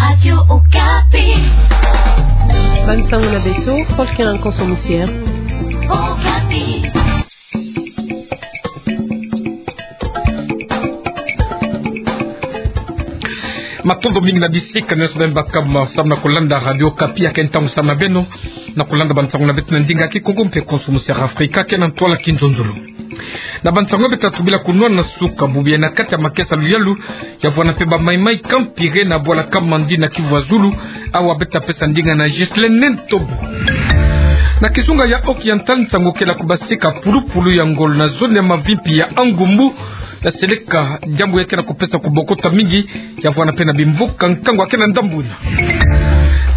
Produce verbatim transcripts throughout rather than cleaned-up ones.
Radio Okapi. Bansango na beto, Paul Kenan Konso Musier. Okapi. Matondo mingi na bisika nyonso beno baka ma samu na kulanda Radio Okapi, ya ke ntangu samu na beno na kulanda bansango na beto na ndinga Kikongo mpe Konso Musier Afrika, ke na ntwala Kinzonzolo. Na bansango beto tatu bila kunwana na suka bubu yayi na kati ya makesa luyalu, ya vwanda mpe bamaimai Kampire na bwala Kamandi na Kivu ya Zulu, awa beto pesa ndinga na Ghislaine Ntobo. Na kizunga ya Oriental, nsangu kele kubasika pulupulu ya ngolo na zone ya Mavimpi ya Angumbu, ya seleka diambu ya ke na kupesa kubokota mingi, ya vwanda mpe na bimvuka nkangu ya ke na ndambu yina.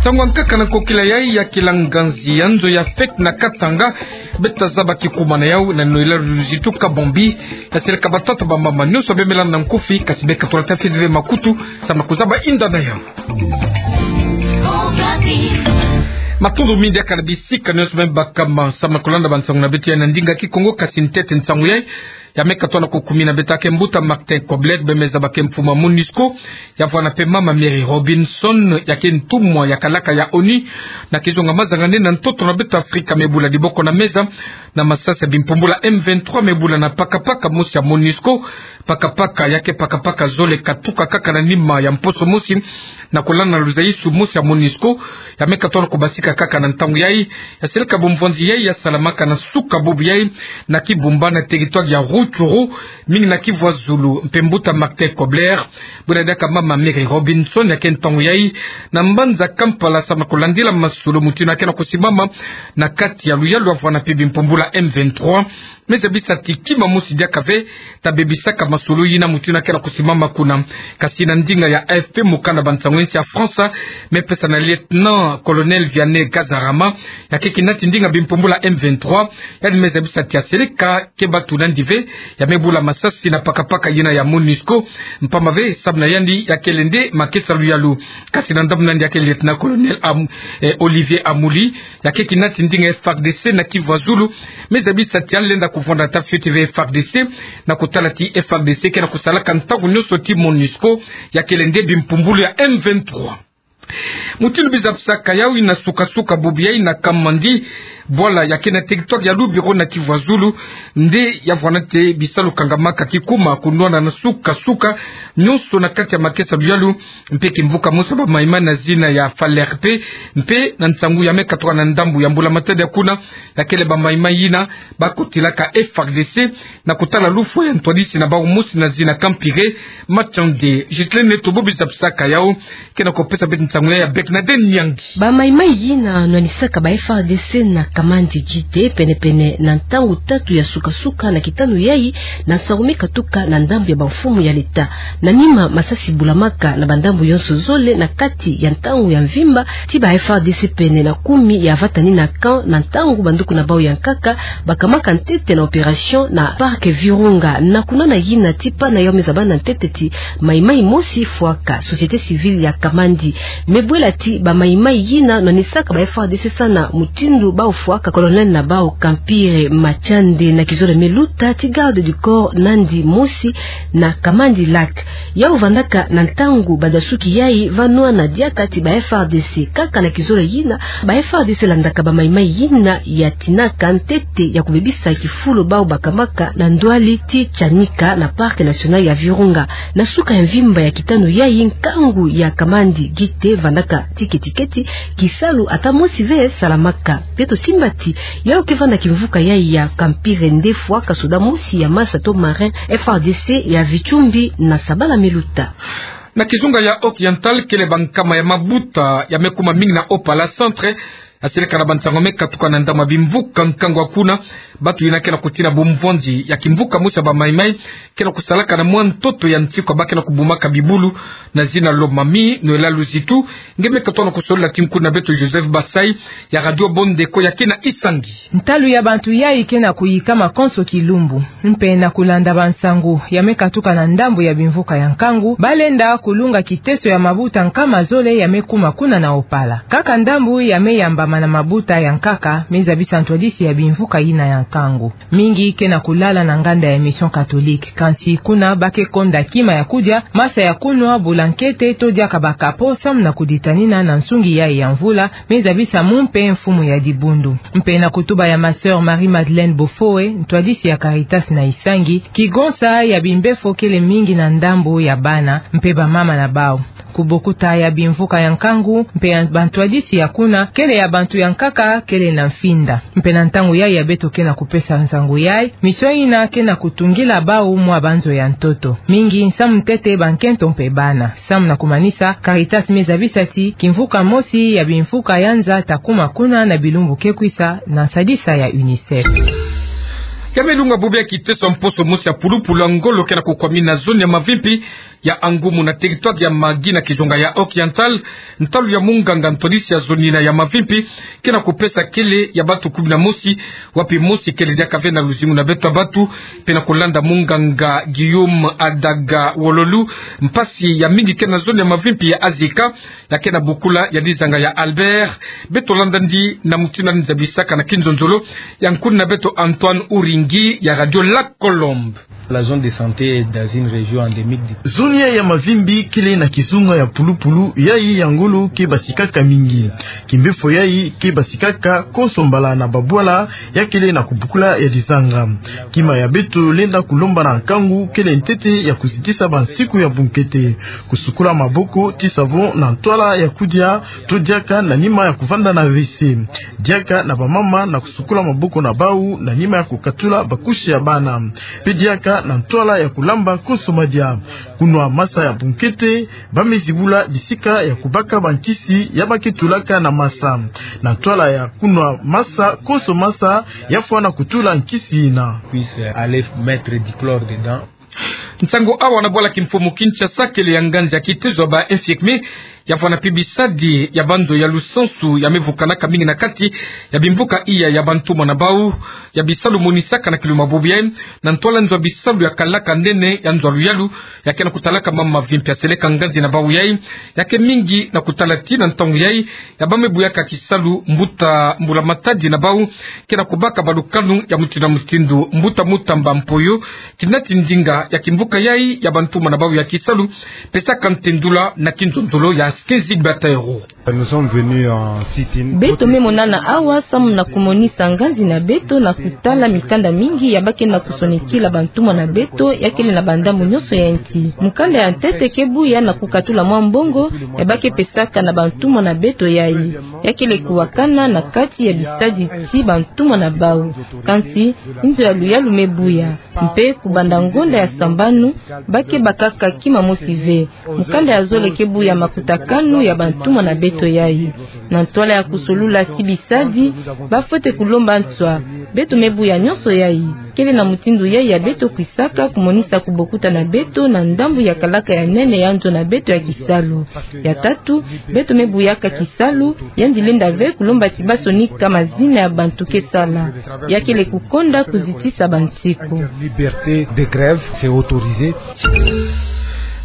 Nsangu ya nkaka na nkokila yayi ya kila nganzi ya nzo ya fête na Katanga, beto zaba kikuma na yawu na noyela luzitu kabombi, ya seleka batata bamama nyonso bemela na nkufi, kasi beka tula tafiti ve makutu, samu na kuzaba inda na yawu. Matondo mingi diaka na bisika nyonso beno baka ma samu na kulanda bansango na beto yayi na ndinga Kikongo, kasi ntete nsangu yayi, ya meka twana kukumina beto ya ke mbuta Martin Kobler, bemeza ba ke mfumu ya MONUSCO, ya vwanda mpe mama Mary Robinson, ya ke ntumwa ya kalaka ya ONU na kizunga mazanga nene na ntoto na beto Afrika, me bula diboko na meza na masasi ya bimpumbulu ya M vingt-trois, me bula na pakapaka mosi ya MONUSCO, pakapaka ya ke pakapaka zole katuka kaka na nima ya mposo mosi na kulanda luzaisu mosi ya MONUSCO, ya meka twana kubasika kaka na ntangu yayi, ya seleka bumvwanzi yayi ya salamaka na suka bubu yayi na Kibumba na territoire ya Rutshuru, mingi na Kivu ya Zulu, mpe mbuta Martin Kobler, buna diaka mama Mary Robinson ya ke ntangu yayi na mbanza Kampala samu na kulandila masolo mutindu ya ke na kusimama na kati ya luyalu ya vwanda mpe bimpumbulu ya M vingt-trois. Me zabisa ti kima mosi diaka ve ta bebisaka masolo yina mutindu ya ke na kusimama kuna. Kasi na ndinga ya A F P, mukanda bansango ya nsi ya France, me pesa na lieutenant-colonel Vianney Kazarama, ya ke kinati ndinga bimpumbulu ya M vingt-trois, yandi me zabisa ti ya seleka keba tuna nandi ve, ya me bula masasi na pakapaka yina ya MONUSCO, mpamba ve samu na yandi ya kele nde makesa luyalu. Kasi na ndambu na yandi ya ke lieutenant-colonel Am-, eh, Olivier Amouli, ya ke kinati ndinga F R D C na Kivu ya Zulu, me zabisa ti ya lenda kuvwanda tafiti ve F R D C, na kutala ti F R D C ke na kusalaka ntangu nyonso ti MONUSCO, ya kele nde bimpumbulu ya M vingt-trois. Mutindu biza bisaka yawu, na suka-suka bubu yayi na Kamandi, bwala ya ke na territoire ya Lubero na Kivu ya Zulu, nde ya vwanda nde bisalu kangamaka kikuma kunwana na suka-suka nyonso na kati ya makesa luyalu, mpe kimvuka mosi ya bamaimai na zina ya Falerpe, mpe na nsangu ya me katuka na ndambu ya mbula-matadi ya kuna, ya kele bamaimai yina ba kotilaka F R D C, na kutala lufwa ya ntwadisi na bawu mosi na zina Kampire Matshande. Ghislaine Ntobo, biza bisaka yawu, ke na kupesa beto nsangu yayi ya Bernadette Nyangi. Bamaimai yina nwanisaka ba F R D C na Kamandi Gite pene-pene na ntangu tatu ya suka-suka na kitanu yayi, na nsangu me katuka na ndambu ya bamfumu ya leta. Na nima, masasi bulamaka na bandambu yonso zole na kati ya ntangu ya mvimba, ti ba F R D C pene na kumi ya vatani na camp na ntangu banduku na bawu ya nkaka bakamaka ntete na opération na parc Virunga. Na kunwana yina, ti pana yawu me zabana ntete ti maimai mosi fwaka, société civile ya Kamandi. Me bwela ti bamaimai yina nwanisaka ba F R D C sana mutindu bawu fwaka colonel na bawu Kampire Matshande na kizole me luta ti garde du corps nandi mosi na Kamandi Lac. Yawu vandaka na ntangu badasuki yayi va nwana diaka ti ba F R D C. Kaka na kizole yina, ba F R D C landaka bamaimai yina ya tinaka ntete ya kubebisa kifulu bawu bakamaka na ndwali ti Tshanika na Parc National ya Virunga. Na suka ya mvimba ya kitanu yayi, nkangu ya Kamandi Gite vandaka ti keti-keti, kisalu ata mosi ve salamaka. Beto simba ti yawu ke vanda kimvuka yayi ya Kampire nde fwaka soda mosi ya masa to marin F R D C ya Vitsumbi na sabala me luta. Na kizunga ya Oriental, kele bankama ya mabuta ya me kuma mingi na Opala Centre, ya seleka na bansangu me katuka na ndambu ya bimvuka nkangu ya kuna, bantu yina ke na kutina bumvwanzi ya kimvuka mosi ya bamaimai ke na kusalaka na mwa ntoto ya nsiku ba ke na kubumaka bibulu na zina Lomami, noyela luzitu. Nge me katuka na kusolila tinku na beto Joseph Basai ya Radio Bondeko ya ke na Isangi. Ntalu ya bantu yayi ke na kuyikama konso kilumbu. Mpe na kulanda bansangu ya me katuka na ndambu ya bimvuka ya nkangu, balenda kulunga kiteso ya mabuta nkama zole ya me kuma kuna na Opala. Kaka ndambu ya me yamba na mabuta ya nkaka, me zabisa ntwadisi ya bimvuka yina ya nkangu. Mingi ke na kulala na nganda ya Mission Catholique, kansi kuna ba ke konda kima ya kudia, masa ya kunwa, bulankete, to diaka bakapo, samu na kuditanina na nsungi yayi ya mvula, me zabisa mu mpe mfumu ya dibundu. Mpe na kutuba ya ma sœur Marie-Madeleine Bofoe, ntwadisi ya Caritas na Isangi, kigonsa ya bimbefo kele mingi na ndambu ya bana, mpe bamama na bau. Kubokuta ya bimvuka ya nkangu, mpe ya bantwadisi ya kuna, kele ya bantu ya nkaka, kele na mfinda. Mpe na ntangu yayi ya beto ke na kupesa nsangu yayi, mission yina ke na kutungila bau mwa banzo ya ntoto. Mingi nsamu ntete bankento mpe bana. Samu na kumanisa, Caritas me zabisa ti, kimvuka mosi ya bimvuka ya nza ta kuma kuna na bilumbu ke kwisa na nsadisa ya UNICEF. Ya me lunga bubu ya kiteso mposo mosi ya pulupulu ya ngolo ke na kukwamina zone ya Mavimpi, ya Angumu na territoire ya Magui na kizunga ya Occidental, ntalu ya munganga ntwadisi ya zone yina ya Mavimpi, ke na kupesa kele ya bantu kumi na mosi, wapi mosi kele diaka ve na luzingu na beto ya bantu, mpe na kulanda munganga Guillaume Adaga Wololu, mpasi ya mingi ke na zone ya Mavimpi ya Azika, ya ke na bokula ya dizanga ya Albert, beto landa ndi na mutindu yandi zabisaka na kinzonzolo, ya nkuni na beto Antoine Uringi ya Radio La Colombe. La zone de santé est dans une région endémique du... Zone ya, ya Mavimpi kele na kizunga ya pulupulu, yayi ya ngolo ke basikaka mingi. Kimbefo yayi ke basikaka konso mbala na babwala, ya kele na kubokula ya dizanga. Kima ya beto lenda kulomba na nkangu kele ntete ya kuzitisa bansiku ya bunkete. Kusukula maboko ti savon na ntwala ya kudia, to diaka na nima ya kuvanda na WC. Diaka na bamama na kusukula maboko na bau na nima ya kukatula bakushi ya bana. Mpe diaka na ntwala ya kulamba konso madia. Kunwa masa ya bunkete, ba me zibula bisika ya kubaka bankisi ya ba ke tulaka na masa. Na ntwala ya kunwa masa, konso masa, ya fwana kutula nkisi yina. Puisse aller mettre du chlore dedans. Nsangu awa na bwala kimfumu Kinshasa, kele ya nganzi ya kitezo ya ba infirmiers, ya fwana mpe bisadi ya banzo ya lusansu ya me vukanaka mingi na kati ya bimvuka iya ya bantumwa na bau, ya bisalu monisaka na kiluma bubu yayi, na ntwala nzo ya bisalu ya kalaka nene ya nzo ya luyalu, ya ke na kutalaka mama Mavimpi ya seleka nganzi na bau yayi, ya ke mingi na kutala ti na ntangu yayi, ya ba me buyaka kisalu, mbuta mbula matadi na bau ke na kubaka balukanu ya mutindu na mutindu. Mbuta Mutamba Mpoyo, kina ti ndinga ya kimvuka yayi ya bantumwa na bau ya kisalu, pesaka ntendula na kinzonzolo ya Skinzig Batero. Nous sommes venus en sit-in. Beto me monana awa samu na kumonisa nganzi na beto na kutala mikanda mingi ya ba ke na kusonikila bantumwa na beto, ya kele na bandambu nyonso ya nsi. Mukanda ya ntete ke buya na kukatula mwa mbongo ya ba ke pesaka na bantumwa na beto yayi. Ya kele kuwakana na kati ya bisadi ti bantumwa na bau. Kansi, nzo ya luyalu me buya. Mpe kubanda ngonda ya sambanu, ba ke bakaka kima mosi ve. Mukanda ya zole ke buya makutakanu ya bantumwa na beto yayi. Na ntwala ya kusolula ti bisadi, ba fwete kulomba nswa. Beto me buya nyonso yayi. Kele na mutindu yayi ya beto kwisaka kumonisa kubokuta na beto na ndambu ya kalaka ya nene ya nzo na beto ya kisalu. Ya tatu, beto me buyaka kisalu, yandi lenda ve kulomba ti ba sonika mazina ya bantu ke sala. Ya kele kukonda kuzitisa bansiku. Liberté de grève, c'est autorisé.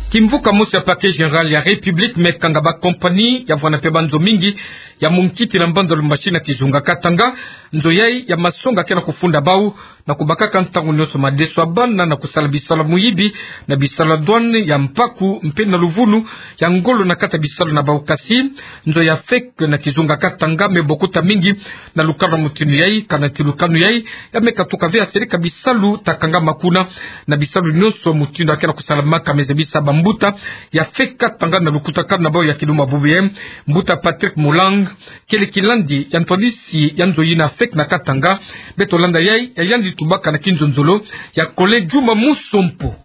Kimvuka mosi ya Parquet Général ya République me kanga ba compagnie ya vwanda mpe banzo mingi ya munkiti na mbanza Lubumbashi na kizunga Katanga. Nzo yayi ya masonga ke na kufunda bau na kubakaka ntangu nyonso madeso ya bana na kusala bisalu ya muyibi na bisalu ya douane, ya mpaku mpe na luvunu ya ngolo na kati ya bisalu na bau. Kasi nzo ya FEC na kizunga Katanga me bokuta mingi na lukanu ya mutindu yayi, kana ti lukanu yayi ya me katuka ve ya seleka bisalu ta kangama kuna. Na bisalu nyonso mutindu ya ke na kusalamaka, me zabisa bambuta ya FEC Katanga na lukutakanu na bau ya kiluma bubu yayi, mbuta Patrick Mulang, kele kilandi ya ntwadisi ya nzo yina FEC na Katanga. Beto landa yayi, ya yandi tubaka na kinzonzolo ya Collègue Djuma Musompo.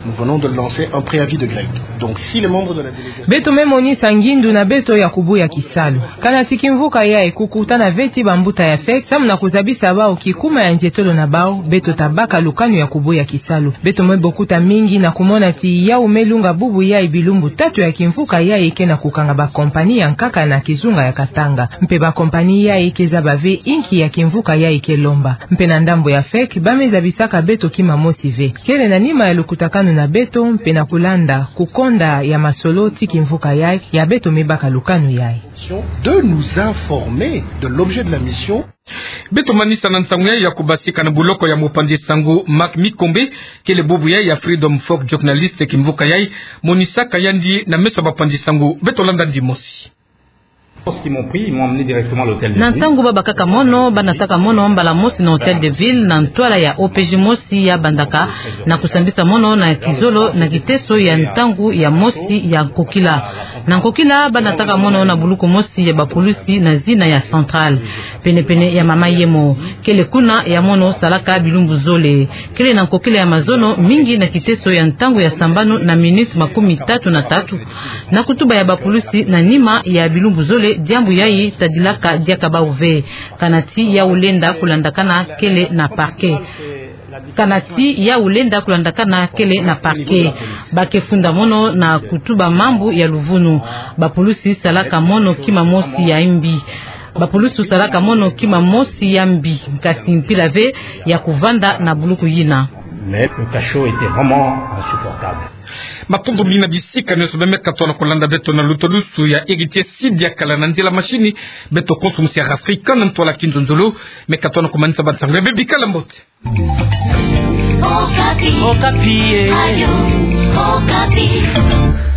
Nous venons de lancer un préavis de grève. Donc, si les membres de la délégation... Beto me monisa ngindu na beto ya kubuya kisalu. Kana ti kimvuka yayi kukutana ve ti bambuta ya FEC samu na kuzabisa bau kikuma ya nzietolo na bau, beto ta baka lukanu ya kubuya kisalu. Beto me bokuta mingi na kumona ti yawu me lunga bubu yayi bilumbu tatu ya kimvuka yayi ke na kukanga ba compagnie ya nkaka na kizunga ya Katanga. Mpe ba compagnie yayi ke zaba ve inki ya kimvuka yayi ke lomba. Mpe na ndambu ya FEC, ba me zabisaka beto kima mosi ve. Kele na nima ya lukutakanu na beto mpe na kulanda kukonda ya masolo ti kimvuka yai, ya beto mibaka lukanu yai. De nous informer de l'objet de la mission. Beto manisa na nsangu yai ya kubasika na buloko ya mopanzi sangu Marc Mikombe, kele bubu yai ya Freedom Folk Journalist kimvuka yai, monisaka yandi na meso ya bapanzi sangu. Beto landa ndimosi. Lorsqu'ils m'ont pris, ils m'ont emmené directement à l'hôtel de ville. Na ntangu ba bakaka mono, ba nataka mono mbala mosi na Hôtel de Ville, na ntwala ya O P J mosi ya bandaka, na kusambisa mono na kizolo na kiteso ya ntangu ya mosi ya nkokila. Na nkokila, ba nataka mono na buluku mosi ya bapulusi na zina ya Centrale. Pene-pene ya mama yemo, kele kuna ya mono salaka bilumbu zole. Kele na nkokila ya mazono mingi na kiteso ya ntangu ya sambanu na minutes makumi tatu na tatu. Na kutuba ya bapulusi na nima ya bilumbu zole, diambu yai tadilaka diaka bawu ve. Kana ti yau lenda kulandakana kele na parquet. Kana ti yau lenda kulandakana kele na parquet. Ba ke funda mono na kutuba mambu ya luvunu. Bapulusi salaka mono kima mosi ya mbi. Bapulusi salaka mono kima mosi ya mbi. Kasi mpila ve ya kuvanda na buluku yina. Mais le cachot était vraiment insupportable. Matondo mingi na bisika nyonso beno me katuka na kulanda beto na lutulusu ya Héritier Sidi ya kala na nzila mashini. Beto konso musi ya Afrika na ntwala kinzonzolo. Me katuka na kumanisa bansangu ya bebi, kala mbote. Okapi. Okapi, eh. Radio Okapi.